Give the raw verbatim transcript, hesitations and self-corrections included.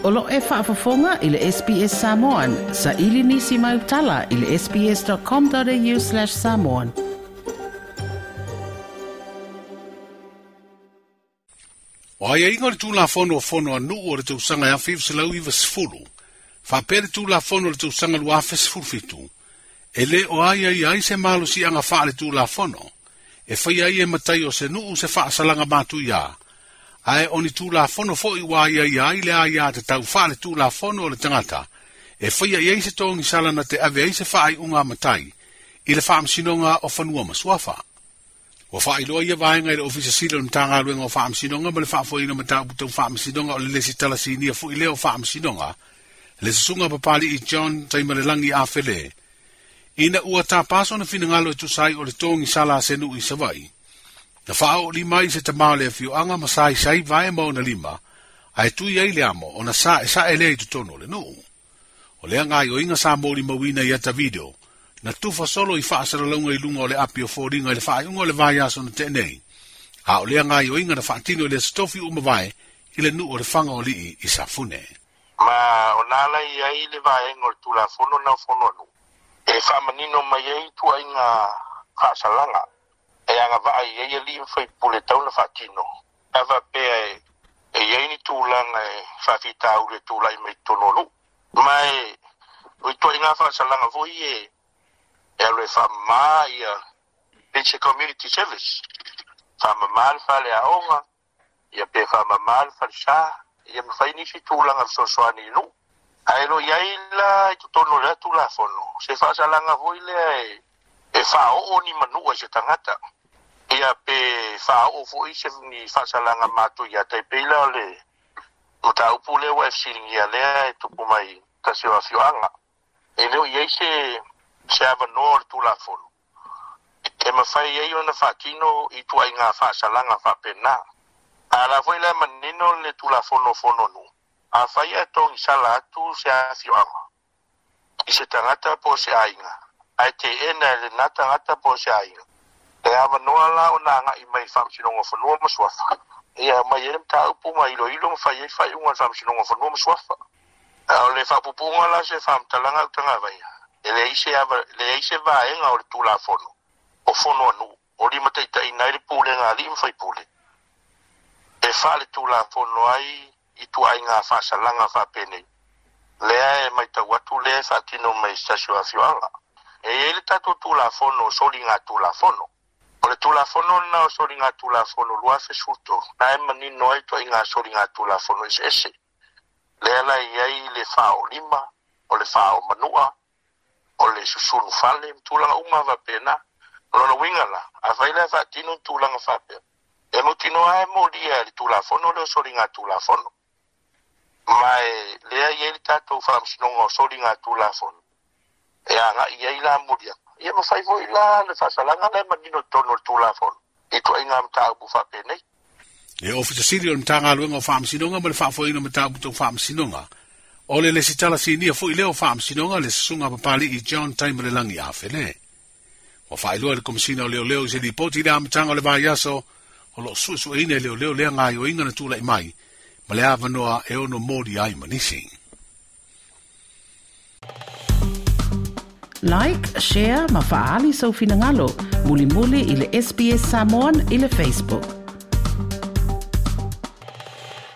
O lo e faafofoga i le S B S Samoan, sa ili nisi mai utala i le sbs.com.au slash samoan. O ai ingo le tulafono o fono a nuu o le tausaga e afe iva selau iva sefulu, faapea le tulafono o le tausaga lua afe sefulu fitu, e le o ai ai ai se malosiaga faale-tulafono, e faia ai e matai o se nuu se faasalaga matuia, ae o ni tulafono fo'i ua ai ai ai le aia tatau faale-tulafono o le tagata, e faia i ai se togisala na te ave ai se faaiuga a matai, i le faamasinoga o fanua ma suafa. Ua faailoa ia vaega i le Ofisa Sili o le Matagaluega o Faamasinoga ma le faafoeina mataupu tau faamasinoga o le lesi talasinia fo'i lea o faamasinoga, le susuga Papali'i John Taimalelagi Afele, ina ua tapaso na finagalo e tusa ai o le togisala a se nuu i Savaii. Na faaoolima ai se tamā o le afioaga ma saisai vae ma ona lima, ae tui ai le amo ona sa'esa'e lea i totonu o le nuu. O lea gaioiga sa molimauina i ata video, na tufa solo i faasalalauga i luga o le api o foliga i le faaiuga o le vaiaso na te'e nei, a o lea gaioiga na faatino i le aso tofi uma vae i le nuu o le Faga o Alii i Safune. Ma o nā lai ai le vaega o le tulafono na o fono a nuu, e faamanino mai ai tuaiga faasalaga, e agavaa i ai alii ma faipule tau na faatino. A faapea e, e iai ni tulaga e faafitauli e tulai mai totonu o nuu. Ma e, o ituaiga faasalaga foi e, e alu e faamamā ia se community service. Faamamā le faleaoga, ia pe faamamā le falesā, ia mafai nisi tulaga fesoasoani i nuu. Ae lo iai la i totonu o lea tulafono, se faasalaga foi lea e, e faaoo ni manua i se tagata. Ia pe faaoo foi se ni faasalaga matuia tai pei la o le mataupu lea ua e fesiligia lea e tupu mai tasi o afioaga. E le o iai se se avanoa o le tulafono e mafai ai ona faatino i tuaiga faasalaga faapena. A la foi lea manino le tulafono o fono nuu, afai ae togisala atu se afioaga i se tagata po o se aiga, ae teena e lena tagata po o se aiga, e avanoa la ona agai mai i le faamasinoga o fanua ma suafa. Ia mai ai le mataupu ma iloilo ma fai ai faaiuga a le faamasinoga o fanua ma suafa. A o le faapupuga la se faamatalaga au tagavaia, e leai se ava, leai se vaega o le tulafono o fono a nuu, o limataitaiina ai le pulega a alii ma faipule, e faale-tulafono ai i tuaiga faasalaga faapenei. Lea e matau atu lea e faatino mai se tasi o afioaga. E iai le tatou tulafono o soliga tulafono. O le tulafono lena o soliga tulafono lua afe sefulu tolu, na e manino ai tuaiga soliga tulafono eseese. Lea la iai le faaoolima, o le faaomanua, o le susunu fale, ma tulaga uma faapena. O lona uiga la, afai lea faatino ni tulaga faapea, e mautinoa e molia e le tulafono lea o soliga tulafono. Ma e lea iai le tatou faamasinoga o soliga tulafono, e agai ai la moliaga. Ia mafai foi la le faasalaga lea e manino i totonu o le tulafono, i tuaiga mataupu faapenei. Le Ofisa Sili o le Matagaluega o Faamasinoga ma le faafoeina mataupu tau faamasinoga, o le lesi talasinia fo'i lea o faamasinoga le susuga Papali'i John Taimalelagi Afele. Ua faailoa i le Komesina o Leoleo i se lipoti i le amataga o le vaiaso, o loo suesueina e leoleo lea gaioiga na tula'i mai, ma le avanoa e ono moli ai ma nisi. Like, share ma faaali sau finagalo, mulimuli i le S B S Samoan i le Facebook.